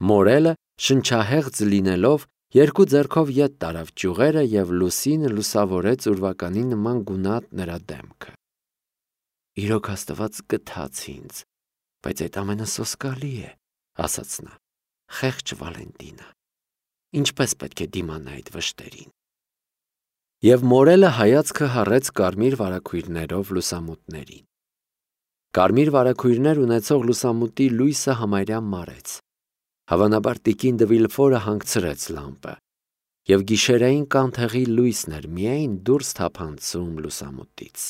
Մորելը շնչահեղձ լինելով երկու ձեռքով ետ տարավ ճյուղերը և լուսինը լուսավորեց ուրվականի նման գունատ նրա դեմքը։ Իրոք Աստված գթաց ինձ, բայց այդ ամենը սոսկալի է, ասաց նա, խեղճ Վալենտինա, ինչպես պետք է դիմանա այդ վշտերին։ Եվ մորելը հայացքը հառեց կարմիր վարագույրներով լուսամուտներին։ Կարմիր վարագույրներ ունեցող լուսամուտի լույսը համարյա մարեց։ Հավանաբար տիկին դե Վիլֆորը հանգցրեց լամպը, և գիշերային կանթեղի լույսն էր միայն դուրս թափանցում լուսամուտից։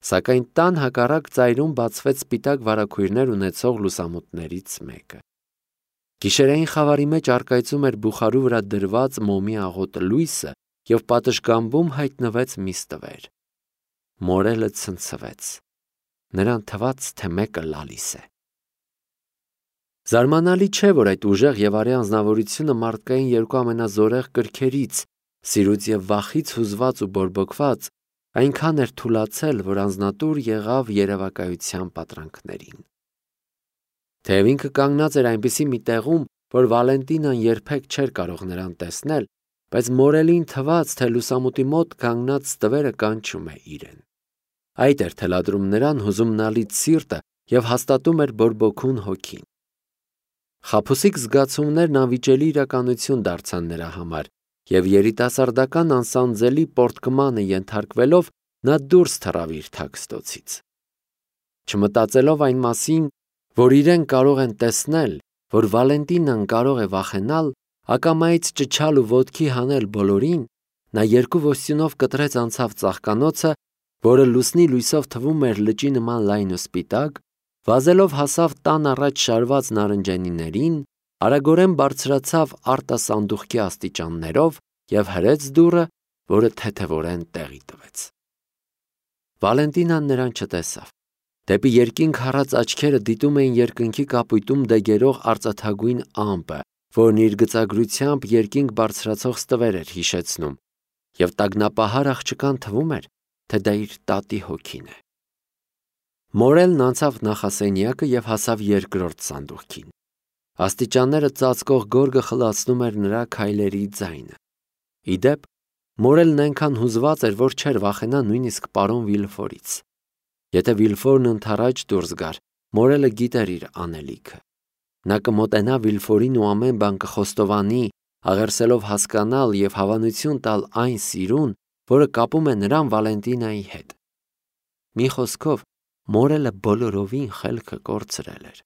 Սակայն տան հակառակ ծայրում բացվեց սպիտակ վարագույրներ ունեցող լուսամուտներից մեկը։ Գիշերային խավարի մեջ առկայծում էր բուխարու վրա դրված մոմի աղոտ լույսը և պատշգամբում հայտնվեց մի ստվեր։ Մորելը ցնցվեց։ Նրան թվաց, թե մեկը լալիս է։ Զարմանալի չէ, որ այդ ուժեղ և արի անձնավորությունը մարդկային երկու ամենազորեղ կրքերից, սիրուց և վախից հուզված ու բորբոքված, այնքան էր թուլացել, որ անձնատուր եղավ երևակայության պատրանքներին։ Թեև ինքը կանգնած էր այնպիսի մի տեղում, որ Վալենտինան երբեք չէր կարող նրան տեսնել, բայց մորելին թվաց, թե լուսամուտի մոտ կանգնած ստվերը կանչում է իրեն։ Այդ էր թելադրում նրան հուզումնալից սիրտը և հաստատում էր բորբոքուն հոգին։ Խաբուսիկ զգացումներն անվիճելի իրականություն դարձան նրա համար, և երիտասարդական անսանձելի պոռթկմանը ենթարկվելով նա դուրս թռավ իր թաքստոցից։ Չմտածելով այն մասին, որ իրեն կարող են տեսնել, որ Վալենտինան կարող է վախենալ, ակամայից ճչալ ու ոտքի հանել բոլորին, նա երկու ոստյունով կտրեց անցավ ծաղկանոցը, որը լուսնի լույսով թվում էր լճի նման լայն ու սպիտակ, վազելով հասավ տան առաջ շարված նարնջենիներին, արագորեն բարձրացավ արտասանդուղքի աստիճաններով և հրեց դուռը, որը թեթևորեն տեղի տվեց։ Վալենտինան նրան չտեսավ։ Դեպի երկինք հառած աչքերը դիտում էին երկնքի կապույտում դեգերող արծաթագույն ամպը, որն իր գծագրությամբ երկինք բարձրացող ստվեր էր հիշեցնում, և տագնապահար աղջկան թվում էր, թե դա իր տատի հոգին է։ Մորելն անցավ նախասենյակը և հասավ երկրորդ սանդուղքին։ Աստիճանները ծածկող գորգը խլացնում էր նրա քայլերի ձայնը։ Ի դեպ, մորելն այնքան հուզված էր, որ չէր վախենա նույնիսկ պարոն Վիլֆորից։ Եթե Վիլֆորն ընդառաջ դուրս գար, մորելը գիտեր իր անելիքը։ Նա կմոտենա Վիլֆորին ու ամեն բան կխոստովանի, աղերսելով հասկանալ և հավանություն տալ այն սիրուն, որը կապում է նրան Վալենտինայի հետ։ Մի խոսքով, մորելը բոլորովին խելքը կորցրել էր։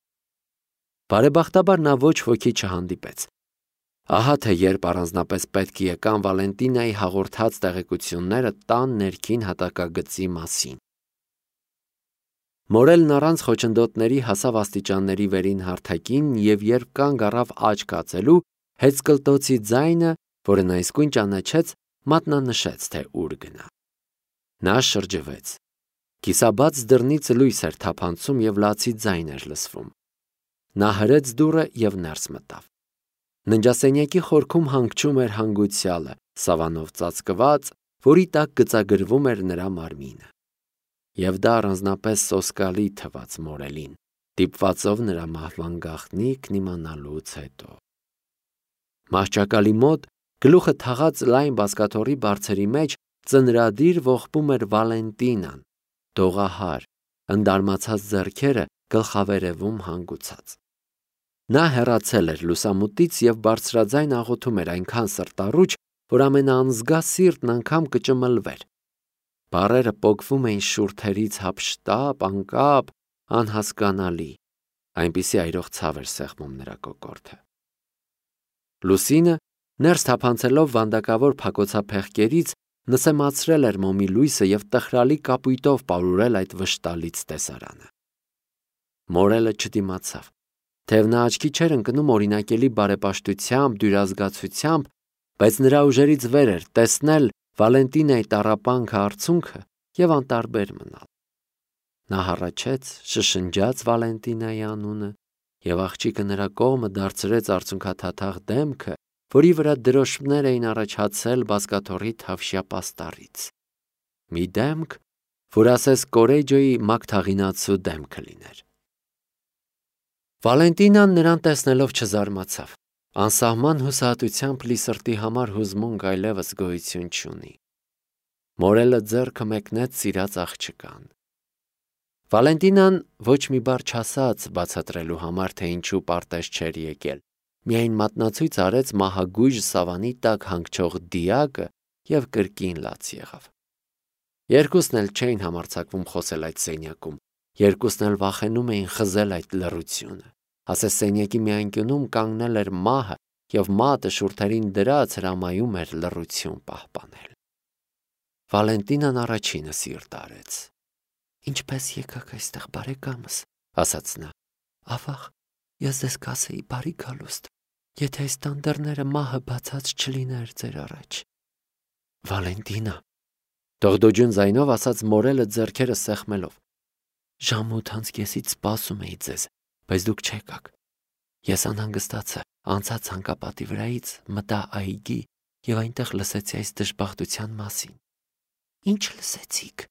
Բարեբախտաբար նա ոչ ոքի չհանդիպեց։ Ահա թե երբ առանձնապես պետք եկան Վալենտինայի հաղորդած տեղեկությունները տան ներքին հատակագծի մասին։ Մորելն առանց խոչընդոտների հասավ աստիճանների վերին հարթակին և երբ կանգ առավ աչք հացելու, հեծկլտոցի ձայնը, որը նա իսկույն ճանաչեց, մատնանշեց, թե ուր գնա։ Նա շրջվեց։ Կիսաբաց դռնից լույս էր թափանցում և լացի ձայն էր լսվում։ Նա հրեց դուռը և ներս մտավ։ Ննջասենյակի խորքում հանգչում էր հանգուցյալը, սավանով ծածկված, որի տակ գծագրվում էր նրա մարմինը։ Եվ դա առանձնապես սոսկալի թվաց մորելին, դիպվածով նրա մահվան գաղտնիքն իմանալուց հետո։ Մահճակալի մոտ, գլուխը թաղած լայն բազկաթոռի բարձերի մեջ, ծնրադիր ողբում էր Վալենտինան, դողահար, ընդարմացած ձեռքերը գլխավերևում հանգուցած։ Նա հեռացել էր լուսամուտից և բարձրաձայն աղոթում էր այնքան սրտառուչ, որ ամենաանզգա սիրտն անգամ կճմլվեր։ Բառերը պոկվում էին շուրթերից հափշտապ, անկապ, անհասկանալի, այնպիսի այրող ցավ էր սեղմում նրա կոկորդը։ Լուսինը, ներս թափանցելով վանդակավոր փակոցափեղկերից, նսեմացրել էր մոմի լույսը և տխրալի կապույտով պարուրել այդ վշտալից տեսարանը։ Մորելը չդիմացավ, թեև նա աչքի չէր ընկնում օրինակելի բարեպաշտությամբ, դյուրազգացությամբ, բայց նրա ուժերից վեր էր տեսնել Վալենտինայի տառապանքը արցունքը և անտարբեր մնալ։ Նա հառաչեց, շշնջաց Վալենտինայի անունը, և աղջիկը նրա կողմը դարձրեց արցունքաթաթախ դեմքը, որի վրա դրոշմներ էին առաջացել բազկաթոռի թավշյա պաստառից։ Մի դեմք, որ ասես Կորեջոյի մագթաղինացու դեմքը լիներ։ Վալենտինան նրան տեսնելով չզարմացավ։ Անսահման հուսահատությամբ լի սրտի համար հուզմունք այլևս գոյություն չունի։ Մորելը ձեռքը մեկնեց սիրած աղջկան։ Վալենտինան ոչ մի բառ չասաց բացատրելու համար, թե ինչու պարտեզ չէր եկել, միայն մատնացույց արեց մահագույժ սավանի տակ հանգչող դիակը և կրկին լաց եղավ։ Երկուսն էլ չէին համարձակվում խոսել այդ սենյակում, երկուսն էլ վախենում էին խզել այդ լռությունը։ Ասես սենյակի մի անկյունում կանգնել էր մահը և մատը շուրթերին դրած հրամայում էր լռություն պահպանել։ Վալենտինան առաջինը սիրտ արեց։ «Ինչպես եկաք այստեղ, բարեկամս», ասաց նա։ «Ավաղ, ես ձեզ կասեի բարի գալուստ, եթե այս տանդերները մահը բացած չլիներ ձեր առաջ»։ «Վալենտինա», դողդոջուն ձայնով ասաց Մորելը ձեռքերը սեղմելով, «ժամ 8:30-ից սպասում էի ձեզ, բայց դուք չեկաք։ Ես անհանգստացա, անցա ցանկապատի վրայից, մտա այգի և այնտեղ լսեցի այս դժբախտության մասին»։ «Ինչ լսեցիք»։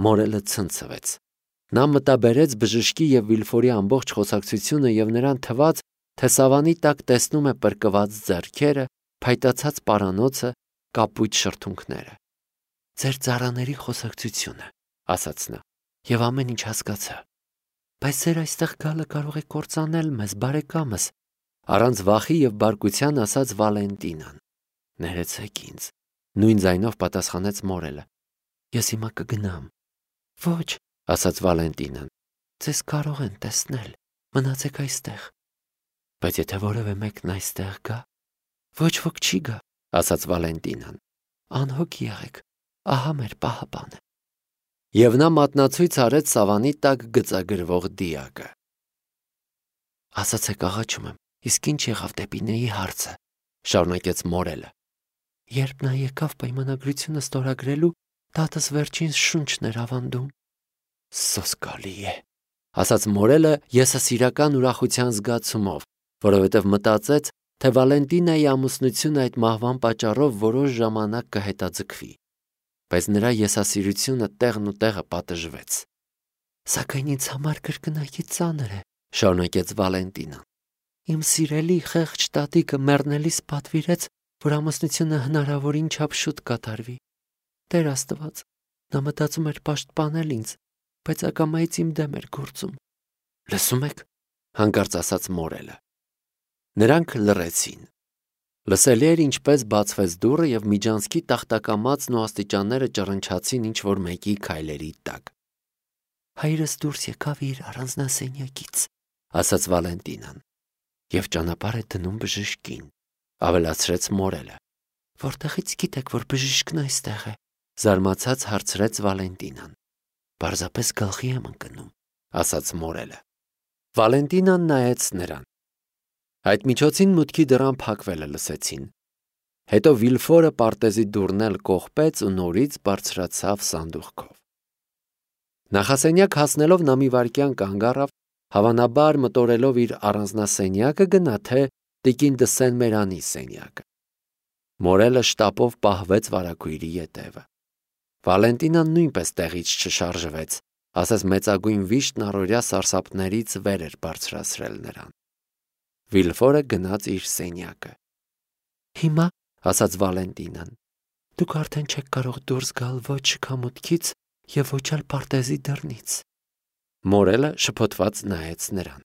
Մորելը ցնցվեց։ Նա մտաբերեց բժշկի և Վիլֆորի ամբողջ խոսակցությունը և նրան թվաց, թե սավանի տակ տեսնում է պրկված ձեռքերը, փայտացած պարանոցը, կապույտ շրթունքները։ «Ձեր ծառաների խոսակցությունը», ասաց նա, «և ամեն ինչ հասկացա։ Բայց ձեր այստեղ գալը կարող է կործանել մեզ, բարեկամս», առանց վախի և բարկության ասաց Վալենտինան։ «Ներեցեք ինձ», նույն ձայնով պատասխանեց Մորելը։ «Ես հիմա կգնամ»։ «Ոչ», ասաց Վալենտինան, «ձեզ կարող են տեսնել, մնացեք այստեղ»։ «Բայց եթե որևէ մեկն այստեղ գա»։ «Ոչ ոք չի գա», ասաց Վալենտինան։ «Անհոգ եղեք, ահա մեր պահապանը»։ Եվ նա մատնացույց արեց սավանի տակ գծագրվող դիակը։ «Ասացեք, աղաչում եմ, իսկ ինչ եղավ դեպինեի հարցը», շարունակեց Մորելը։ «Երբ նա եկավ պայմանագրությունը ստորագրելու, տատս վերջին շունչն էր ավանդում»։ «Սոսկալի է», ասաց Մորելը եսասիրական ուրախության զգացումով, որովհետև մտածեց, թե Վալենտինայի ամուսնությունը այդ մահվան պատճառով որոշ ժամանակ կհետաձգվի։ Բայց նրա եսասիրությունը տեղն ու տեղը պատժվեց։ «Սակայն ինձ համար կրկնակի ծանր է», շարունակեց Վալենտինան։ «Իմ սիրելի խեղճ տատիկը մեռնելիս պատվիրեց, որ ամուսնությունը հնարավորին չափ շուտ կատարվի։ Տեր Աստված, նա մտածում էր պաշտպանել ինձ, բայց ակամայից իմ դեմ էր գործում»։ «Լսում եք», հանկարծ ասաց Մորելը։ Նրանք լռեցին։ Լսելի էր, ինչպես բացվեց դուռը և միջանցքի տախտակամածն ու աստիճանները ճռնչացին ինչ-որ մեկի քայլերի տակ։ «Հայրս դուրս եկավ իր առանձնասենյակից», ասաց Վալենտինան, «և ճանապարհ է դնում բժշկին», ավելացրեց Մորելը։ «Որտեղից գիտեք, որ բժիշկն այստեղ է», զարմացած հարցրեց Վալենտինան։ «Պարզապես գլխի եմ ընկնում», ասաց Մորելը։ Վալենտինան նայեց նրան։ Այդ միջոցին մուտքի դռան փակվելը լսեցին։ Հետո Վիլֆորը պարտեզի դուռն էլ կողպեց ու նորից բարձրացավ սանդուղքով։ Նախասենյակ հասնելով նա մի վայրկյան կանգ առավ, հավանաբար մտորելով իր առանձնասենյակը գնա թե տիկին դը Սեն-Մերանի սենյակը։ Մորելը շտապով պահվեց վարագույրի ետևը։ Վալենտինան նույնպես տեղից չշարժվեց, ասես մեծագույն վիշտն առօրյա սարսափներից վեր էր բարձրացրել նրան։ Վիլֆորը գնաց իր սենյակը։ «Հիմա», ասաց Վալենտինան, «դուք արդեն չեք կարող դուրս գալ ոչ շքամուտքից և ոչ էլ պարտեզի դռնից»։ Մորելը շփոթված նայեց նրան։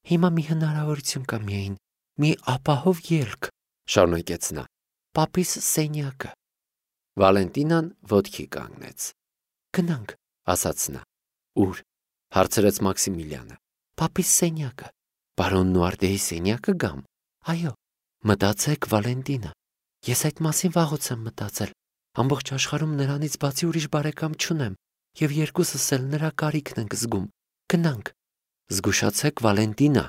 «Հիմա մի հնարավորություն կա միայն, մի ապահով ելք», շարունակեց նա, «պապիս սենյակը»։ Վալենտինան ոտքի կանգնեց։ «Գնանք», ասաց նա։ «Ուր»։ հարցրեց Մաքսիմիլյանը։ «Պապիս սենյակը»։ «Պարոն Նուարտեի սենյակը գամ»։ «Այո»։ «Մտածեք, Վալենտինա, ես այդ մասին վաղուց եմ մտածել։ Ամբողջ աշխարհում նրանից բացի ուրիշ բարեկամ չունեմ, և երկուսս էլ նրա կարիքն ենք զգում։ Գնանք»։ «Զգուշացեք, Վալենտինա»,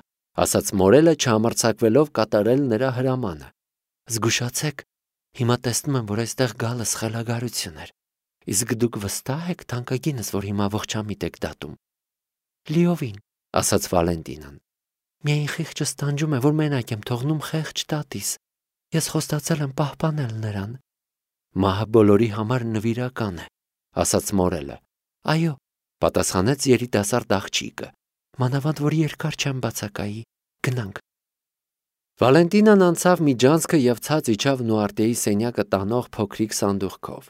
ասաց Մորելը, չհամարձակվելով կատարել նրա հրամանը։ «Զգուշացեք, հիմա տեսնում եմ, որ այստեղ գալը սխելագարություն էր։ Իսկ դուք վստահ եք թանկագինս, որ հիմա ողջամիտ եք դատում»։ «Լիովին», ասաց Վալենտինան։ «Միայն խիղճս տանջում է, որ մենակ եմ թողնում խեղճ տատիս։ Ես խոստացել եմ պահպանել նրան»։ «Մահը բոլորի համար նվիրական է», ասաց Մորելը։ «Այո», պատասխանեց երիտասարդ աղջիկը, Մանավանդ որ երկար չեմ բացակայի, գնանք։ Վալենտինան անցավ միջանցքը և ցած իջավ Նուարտիեի սենյակը տանող փոքրիկ սանդուղքով։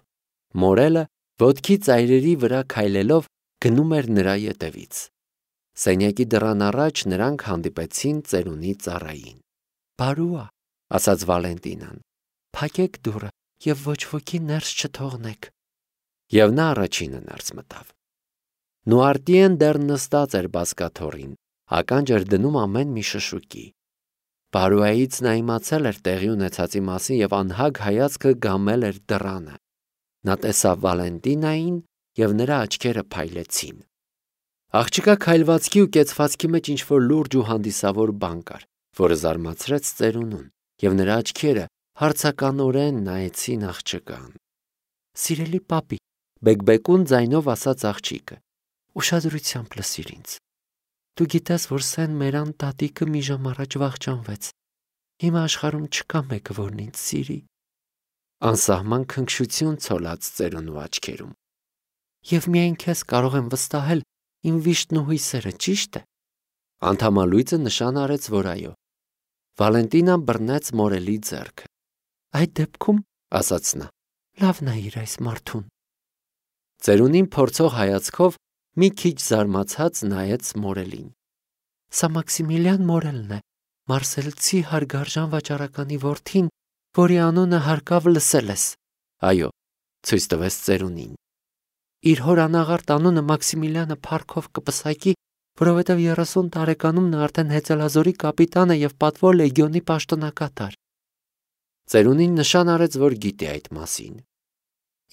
Մորելը ոտքի ծայրերի վրա քայլելով գնում էր նրա ետևից։ Սենյակի դռան առաջ նրանք հանդիպեցին ծերունի ծառային։ «Բարուա», ասաց Վալենտինան, «փակեք դուռը և ոչ ոքի ներս չթողնեք»։ Եվ նա առաջինը ներս մտավ։ Նուարտիեն դեռ նստած էր բազկաթոռին, ականջ էր դնում ամեն մի շշուկի։ Բարուայից նա իմացել էր տեղի ունեցածի մասին և անհագ հայացքը գամել էր դռանը։ Նա տեսավ Վալենտինային և նրա աչքերը փայլեցին։ Աղջկա քայլվածքի ու կեցվածքի մեջ ինչ-որ լուրջ ու հանդիսավոր բան կար, որը զարմացրեց ծերունուն, և նրա աչքերը հարցականորեն նայեցին աղջկան։ «Սիրելի պապի», բեկբեկուն ձայնով ասաց աղջիկը, «ուշադրությամբ լսիր ինձ։ Դու գիտես, որ Սեն Մերան տատիկը մի ժամ առաջ վախճանվեց։ Հիմա աշխարհում չկա մեկը, որն ինձ սիրի»։ Անսահման քնքշություն ցոլած ծերունու աչքերում։ «Եվ միայն քեզ կարող եմ վստահել իմ վիշտն ու հույսերը, ճի՞շտ է»։ Անդամալույծը նշան արեց, որ այո։ Վալենտինան բռնեց մորելի ձեռքը։ «Այդ դեպքում, ասաց նա, լավ նայիր այս մարդուն»։ Ծերունին փորձող հայացքով մի քիչ զարմացած նայեց մորելին։ «Սա Մաքսիմիլիան Մորելն է, մարսելցի հարգարժան վաճառականի որդին, որի անունը հարկավ լսել ես»։ «Այո», ցույց տվեց ծերունին։ «Իր հոր անաղարտ անունը Մաքսիմիլիանը փառքով կպսակի, որովհետև 30 տարեկանում նա արդեն հեծելազորի կապիտան է և պատվո լեգիոնի պաշտոնակատար»։ Ծերունին նշան արեց, որ գիտի այդ մասին։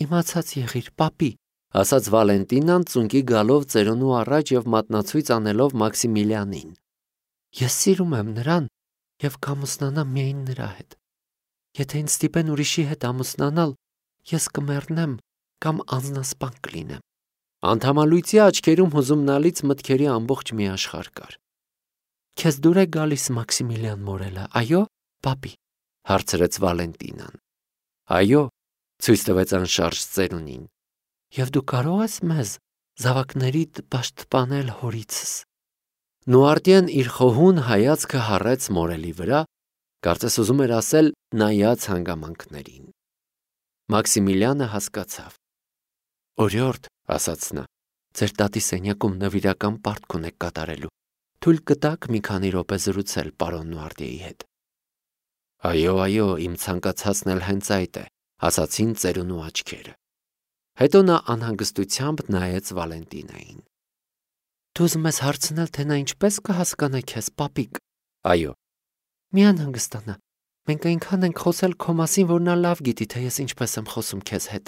«Իմացած եղիր, պապի», ասաց Վալենտինան ծունկի գալով ծերունու առաջ և մատնացույց անելով Մաքսիմիլիանին։ «Ես սիրում եմ նրան և կամուսնանամ միայն նրա հետ։ Եթե ինձ ստիպեն ուրիշի հետ ամուսնանալ, ես կմեռնեմ կամ անձնասպան կլինեմ»։ Անդամալույծի աչքերում հուզումնալից մտքերի ամբողջ մի աշխարհ կար։ «Քեզ դուր է գալիս Մաքսիմիլիան Մորելը, այո, պապի», հարցրեց Վալենտինան։ «Այո», ցույց տվեց անշարժ ծերունին։ «Եվ դու կարող ես մեզ զավակներիդ պաշտպանել հորիցս»։ Նուարտիեն իր խոհուն հայացքը հառեց մորելի վրա, կարծես ուզում էր ասել նայած հանգամանքներին։ Մաքսիմիլիանը հասկացավ։ «Օրիորդ», ասաց նա, «ձեր տատի սենյակում նվիրական պարտք ունեք կատարելու։ Թույլ կտաք մի քանի րոպե զրուցել պարոն Նուարտիեի հետ»։ «Այո, իմ ցանկացածն էլ հենց այդ է», ասացին ծերունու աչքերը։ Հետո նա անհանգստությամբ նայեց Վալենտինային։ «Դու ուզում ես հարցնել, թե նա ինչպես կհասկանա քեզ, պապիկ»։ «Այո»։ «Մի անհանգստանա, մենք այնքան ենք խոսել քո մասին, որ նա լավ գիտի, թե ես ինչպես եմ խոսում քեզ հետ»։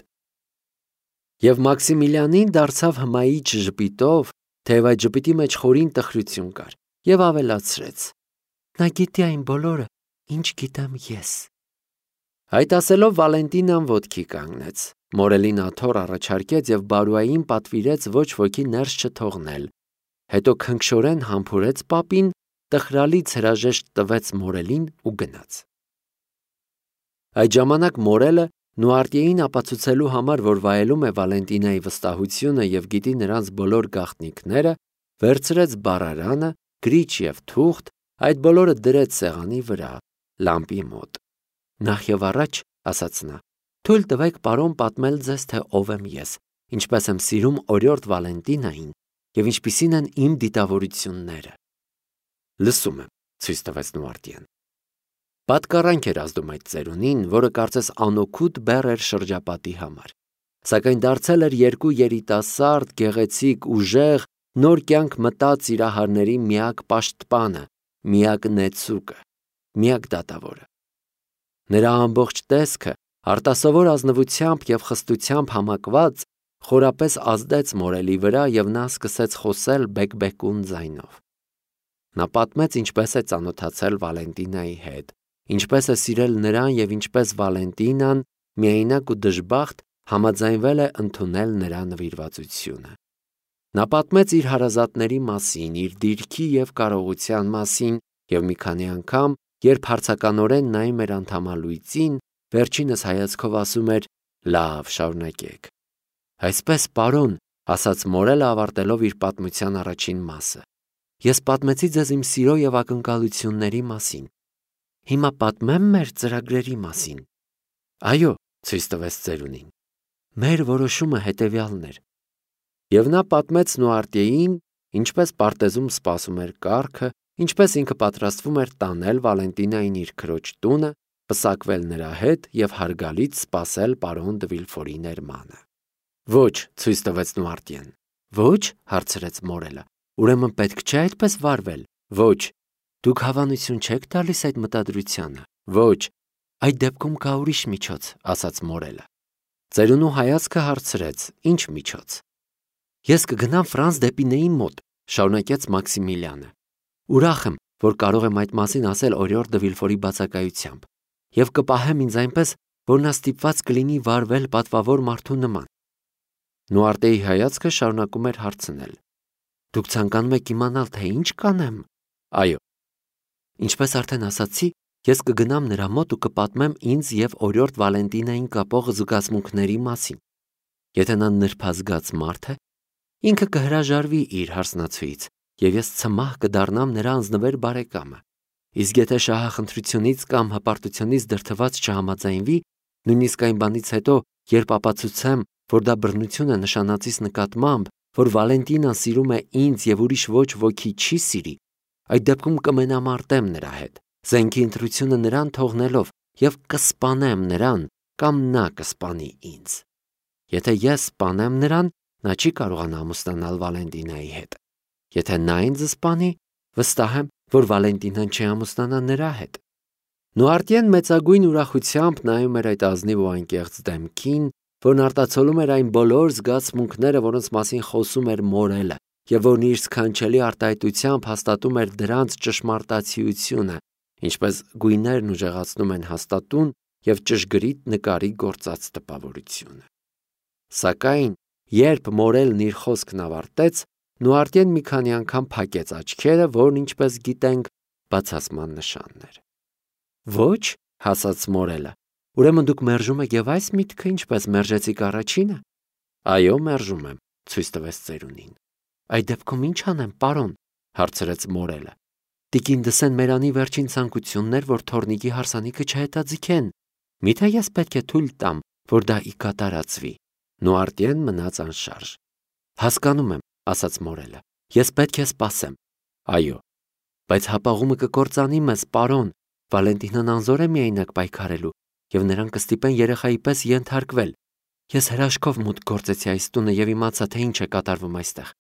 Եվ Մաքսիմիլիանին դարձավ հմայիչ ժպիտով, թեև այդ ժպիտի մեջ խորին տխրություն կար, և ավելացրեց. «Նա գիտի այն բոլորը, ինչ գիտեմ ես»։ Այդ ասելով Վալենտինան ոտքի կանգնեց, մորելին աթոռ առաջարկեց և Բարուային պատվիրեց ոչ ոքի ներս չթողնել, հետո քնքշորեն համբուրեց պապին, տխրալից հրաժեշտ տվեց մորելին ու գնաց։ Այդ ժամանակ մորելը, Նուարտիեին ապացուցելու համար, որ վայելում է Վալենտինայի վստահությունը և գիտի նրանց բոլոր գաղտնիքները, վերցրեց բառարանը, գրիչ և թուղթ, այդ բոլորը դրեց սեղանի վրա, լամպի մոտ։ «Նախ և առաջ, ասաց նա, թույլ տվեք պարոն պատմել ձեզ, թե ով եմ ես, ինչպես եմ սիրում օրիորդ Վալենտինային և ինչպիսին են իմ դիտավորությունները»։ «Լսում եմ», ցույց տվեց Նուարտիեն։ Պատկառանք էր ազդում այդ ծերունին, որը կարծես անօգուտ բեռ էր շրջապատի համար, սակայն դարձել էր երկու երիտասարդ, գեղեցիկ, ուժեղ, նոր կյանք մտած սիրահարների միակ պաշտպանը, միակ նեցուկը, միակ դատավորը։ Նրա ամբողջ տեսքը, արտասովոր ազնվությամբ և խստությամբ համակված, խորապես ազդեց մորելի վրա, և նա սկսեց խոսել բեկբեկուն ձայնով։ Նա պատմեց ինչպես է ծանոթացել Վալենտինայի հետ, ինչպես է սիրել նրան և ինչպես Վալենտինան, միայնակ ու դժբախտ, համաձայնվել է ընդունել նրա նվիրվածությունը։ Նա պատմեց իր հարազատների մասին, իր դիրքի և կարողության մասին և մի քանի անգամ, երբ հարցականորեն նայում էր անդամալույծին, վերջինս հայացքով ասում էր. «Լավ, շարունակեք»։ «Այսպես, պարոն», ասաց մորելը ավարտելով իր պատմության առաջին մասը, Ես պատմեցի ձեզ իմ սիրո եւ ակնկալությունների մասին։ Հիմա պատմեմ մեր ծրագրերի մասին։ Այո, ցույց տվեց ծերունին։ Մեր որոշումը հետևյալն էր։ Եվ նա պատմեց Նուարտիեին, ինչպես պարտեզում սպասում էր կառքը, ինչպես ինքը պատրաստվում էր տանել Վալենտինային իր քրոջ տունը, պսակվել նրա հետ եւ հարգալից սպասել պարոն դը Վիլֆորի ներմանը։ Ոչ, ցույց տվեց Նուարտիեն։ Ոչ, հարցրեց Մորելը։ Ուրեմն պետք չէ այդպես վարվել։ Ոչ։ Դուք հավանություն չեք տալիս այդ մտադրությանը։ Ոչ։ Այդ դեպքում կա ուրիշ միջոց, ասաց Մորելը։ Ծերունու հայացքը հարցրեց. Ինչ միջոց։ Ես կգնամ Ֆրանս դեպի Նեի մոտ, շարունակեց Մաքսիմիլիանը։ Ուրախ եմ, որ կարող եմ այդ մասին ասել օրիորդ դը Վիլֆորի բացակայությամբ, եւ կպահեմ ինձ այնպես, որ նա ստիպված կլինի վարվել պատվավոր մարդու նման։ Նուարտեի հայացքը շարունակում էր հարցնել. Դուք ցանկանում եք իմանալ, թե ինչ կանեմ։ Այո։ Ինչպես արդեն ասացի, ես կգնամ նրա մոտ ու կպատմեմ ինձ եւ օրիորդ Վալենտինային կապող զգացմունքների մասին։ Եթե նա նրբազգաց մարդ է, ինքը կհրաժարվի իր հարսնացուից, եւ ես ցմահ կդառնամ նրա անձնվեր բարեկամը։ Իսկ եթե շահախնդրությունից կամ հպարտությունից դրդված չհամաձայնվի, նույնիսկ այն բանից հետո, երբ ապացուցեմ, որ դա բռնություն է նշանածիս նկատմամբ, որ Վալենտինան սիրում է ինձ եւ ուրիշ ոչ ոքի չի սիրի, այդ դեպքում կմենամարտեմ նրա հետ, զենքի ընտրությունը նրան թողնելով եւ կսպանեմ նրան կամ նա կսպանի ինձ։ Եթե ես սպանեմ նրան, նա չի կարողանա ամուսնանալ Վալենտինայի հետ։ Եթե նա ինձ սպանի, վստահ եմ, որ Վալենտինան չի ամուսնանա նրա հետ։ Նուարտիեն մեծագույն ուրախությամբ նայում էր այդ ազնիվ ու անկեղծ դեմքին, որն արտացոլում էր այն բոլոր զգացմունքները, որոնց մասին խոսում էր Մորելը, եւ որն իր սքանչելի արտահայտությամբ հաստատում էր դրանց ճշմարտացիությունը, ինչպես գույներն ուժեղացնում են հաստատուն եւ ճշգրիտ նկարի գործած տպավորությունը։ Սակայն, երբ Մորելն իր խոսքն ավարտեց, Նուարտիեն մի քանի անգամ փակեց աչքերը, որն ինչպես գիտենք, բացասման նշանն էր։ Ոչ, հասած Մորելը, ուրեմն դուք մերժում եք եւ այս միտքը ինչպես մերժեցիք առաջինը։ Այո, մերժում եմ, ցույց տվեց ծերունին։ Այդ դեպքում ինչ անեմ, պարոն, հարցրեց Մորելը։ Տիկին Դսեն Մերանի վերջին ցանկությունն էր, որ թորնիկի հարսանիքը չհետաձգեն։ Միթե ես պետք է թույլ տամ, որ դա ի կատարածվի։ Նուարտիեն մնաց անշարժ։ Հասկանում եմ, ասաց Մորելը։ Ես պետք է սպասեմ։ Այո, բայց հապաղումը կկործանի մեզ, պարոն։ Վալենտինան անզոր է միայնակ պայքարելու, եւ նրան կստիպեն երեխայի պես ենթարկվել։ Ես հրաշքով մուտք գործեցի այս տունը եւ իմացա, թե ինչ է կատարվում այստեղ։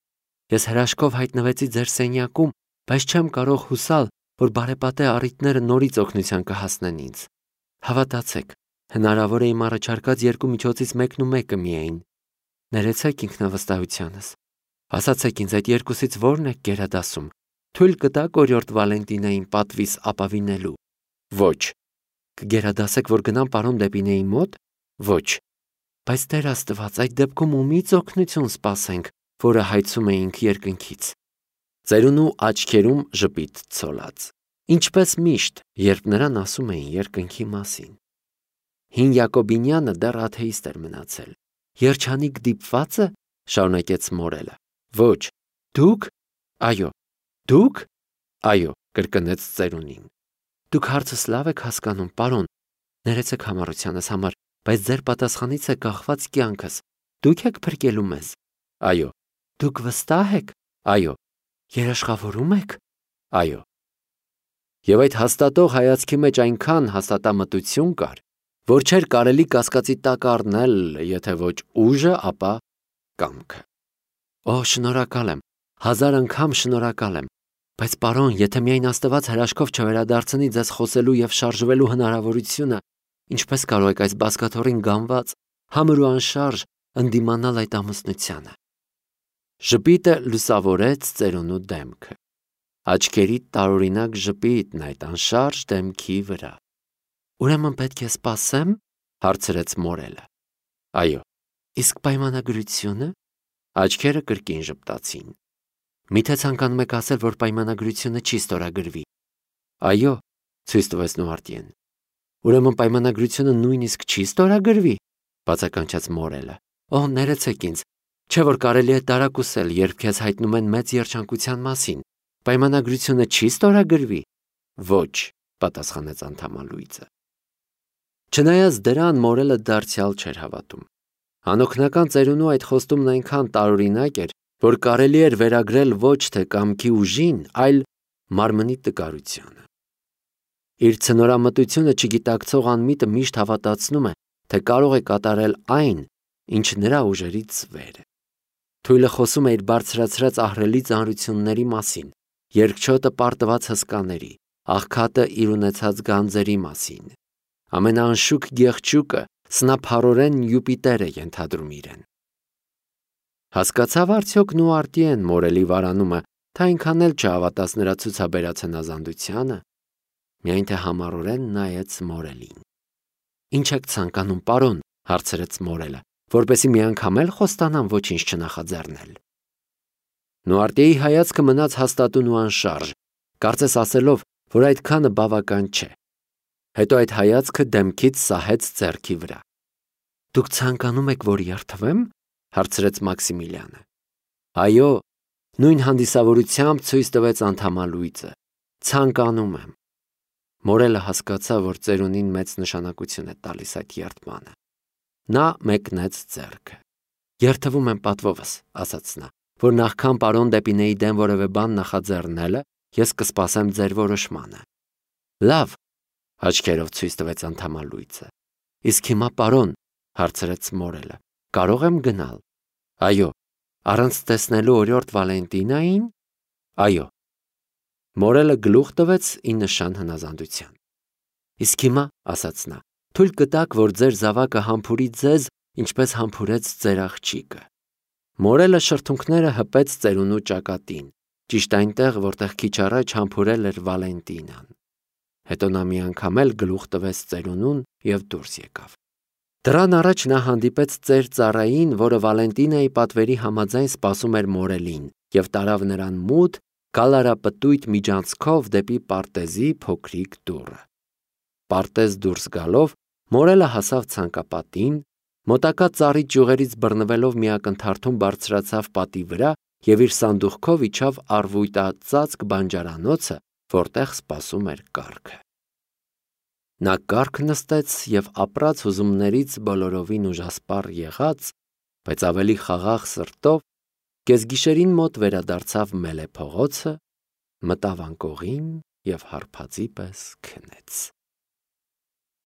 Ես հրաշքով հայտնվեցի ձեր սենյակում, բայց չեմ կարող հուսալ, որ բարեպատե առիթները նորից օգնության կհասնեն ինձ։ Հավատացեք, հնարավոր է իմ առաջարկած երկու միջոցից մեկն ու մեկը միայն։ Ներեցեք ինքնավստահությանս։ Ասացեք ինձ, այդ երկուսից որն եք գերադասում։ Թույլ կտաք օրիորդ Վալենտինային պատվիս ապավինելու։ Ոչ։ Կգերադասեք, որ գնամ պարոն դեպի Նեի մոտ։ Ոչ։ Բայց Տեր Աստված, այդ դեպքում ումից օգնություն սպասենք, որը հայցում էինք երկնքից։ Ծերունու աչքերում ժպիտ ցոլած։ Ինչպես միշտ, երբ նրան ասում էին երկնքի մասին։ Հին Յակոբինյանը դեռ աթեիստ էր մնացել։ Երջանիկ դիպվածը, շարունակեց Մորելը։ Ոչ։ Դուք։ Այո։ Դուք։ Այո, կրկնեց ծերունին։ Դուք հարցս լավ եք հասկանում, պարոն։ Ներեցեք համառությանս համար, բայց ձեր պատասխանից է կախված կյանքս։ Դուք եք փրկելու մեզ։ Այո։ Դուք վստահ եք։ Այո։ Երաշխավորում եք։ Այո։ Եվ այդ հաստատող հայացքի մեջ այնքան հաստատամտություն կար, որ չէր կարելի կասկածի տակ առնել, եթե ոչ ուժը, ապա կամքը։ Օ, շնորհակալ եմ, 1000 անգամ շնորհակալ եմ, բայց պարոն, եթե միայն Աստված հրաշքով չվերադարձնի ձեզ խոսելու եւ շարժվելու հնարավորությունը, ինչպես կարող եք այս բազկաթոռին գանված, համր ու անշարժ ընդդիմանալ այդ ամուսնությանը։ Ժպիտը լուսավորեց ծերունու դեմքը։ Աչքերի տարօրինակ ժպիտն այդ անշարժ դեմքի վրա։ Ուրեմն պետք է սպասեմ, հարցրեց Մորելը։ Այո։ Իսկ պայմանագրությունը։ Աչքերը կրկին ժպտացին։ Միթե ցանկանում եք ասել, որ պայմանագրությունը չի ստորագրվի։ Այո, ցույց տվեց Նուարտիեն։ Ուրեմն պայմանագրությունը նույնիսկ չի ստորագրվի, բացականչեց Մորելը։ Օ, ներեցեք ինձ, չէ որ կարելի է տարակուսել, երբ քեզ հայտնում են մեծ երջանկության մասին, Պայմանագրությունը չի ստորագրվի։ Ոչ, պատասխանեց անդամալույցը։ Չնայած դրան մորելը դարձյալ չէր հավատում։ Անօգնական ծերունու այդ խոստումն այնքան տարօրինակ էր, որ կարելի էր վերագրել ոչ թե կամքի ուժին, այլ մարմնի տկարությանը։ Իր ցնորամտությունը չգիտակցող անմիտը միշտ հավատացնում է, թե կարող է կատարել այն, ինչ նրա ուժերից վեր է։ Թույլը խոսում է իր բարձրացրած ահռելի ծանրությունների մասին, երկչոտը պարտված հսկաների, աղքատը իր ունեցած գանձերի մասին։ Ամենաանշուք գեղչուկը սնափառորեն Յուպիտեր է ենթադրում իրեն։ Հասկացավ արդյոք Նուարտիեն մորելի վարանումը, թե այնքան էլ չհավատաց նրա ցուցաբերած հնազանդությանը, միայն թե համառորեն նայեց մորելին։ Ինչ եք ցանկանում, պարոն, հարցրեց մորելը, որպեսզի մի անգամ էլ խոստանամ ոչինչ չնախաձեռնել։ Նուարտիեի հայացքը մնաց հաստատուն ու անշարժ, կարծես ասելով, որ այդքանը բավական չէ։ Հետո այդ հայացքը դեմքից սահեց ձեռքի վրա։ Դուք ցանկանում եք, որ երդվեմ, հարցրեց Մաքսիմիլիանը։ Այո, նույն հանդիսավորությամբ ցույց տվեց անդամալույցը։ Ցանկանում եմ։ Մորելը հասկացավ, որ ծերունին մեծ նշանակություն է տալիս այդ երդմանը։ Նա մեկնեց ձեռքը։ Երդվում եմ պատվովս, ասաց նա, որ նախքան պարոն Դեպինեի դեմ որևէ բան նախաձեռնելը, ես կսպասեմ ձեր որոշմանը։ Լավ, աչքերով ցույց տվեց անդամալույցը։ Իսկ հիմա, պարոն, հարցրեց մորելը, կարող եմ գնալ։ Այո, առանց տեսնելու օրիորդ Վալենտինային։ Այո։ Մորելը գլուխ տվեց ի նշան հնազանդության։ Իսկ հիմա, ասաց նա, թույլ կտաք, որ ձեր զավակը համբուրի ձեզ, ինչպես համբուրեց ձեր աղջիկը։ Մորելը շրթունքները հպեց ծերունու ճակատին, ճիշտ այնտեղ, որտեղ քիչ առաջ համբուրել էր Վալենտինան։ Հետո նա մի անգամ էլ գլուխ տվեց ծերունուն և դուրս եկավ։ Դրան առաջ նա հանդիպեց ծեր ծառային, որը Վալենտինայի պատվերի համաձայն սպասում էր մորելին, և տարավ նրան մութ, գալարապտույտ միջանցքով դեպի պարտեզի փոքրիկ դուռը։ Պարտեզ դուրս գալով, մորելը հասավ ցանկապատին, մոտակա ծառի ճյուղերից բռնվելով մի ակնթարթում բարձրացավ պատի վրա և իր սանդուղքով իջավ առվույտածածկ բանջարանոցը, որտեղ սպասում էր կառքը։ Նա կառք նստեց և ապրած հուզումներից բոլորովին ուժասպառ եղած, բայց ավելի խաղաղ սրտով, կեսգիշերին մոտ վերադարձավ մելե փողոցը, մտավ անկողին և հարբածի պես քնեց։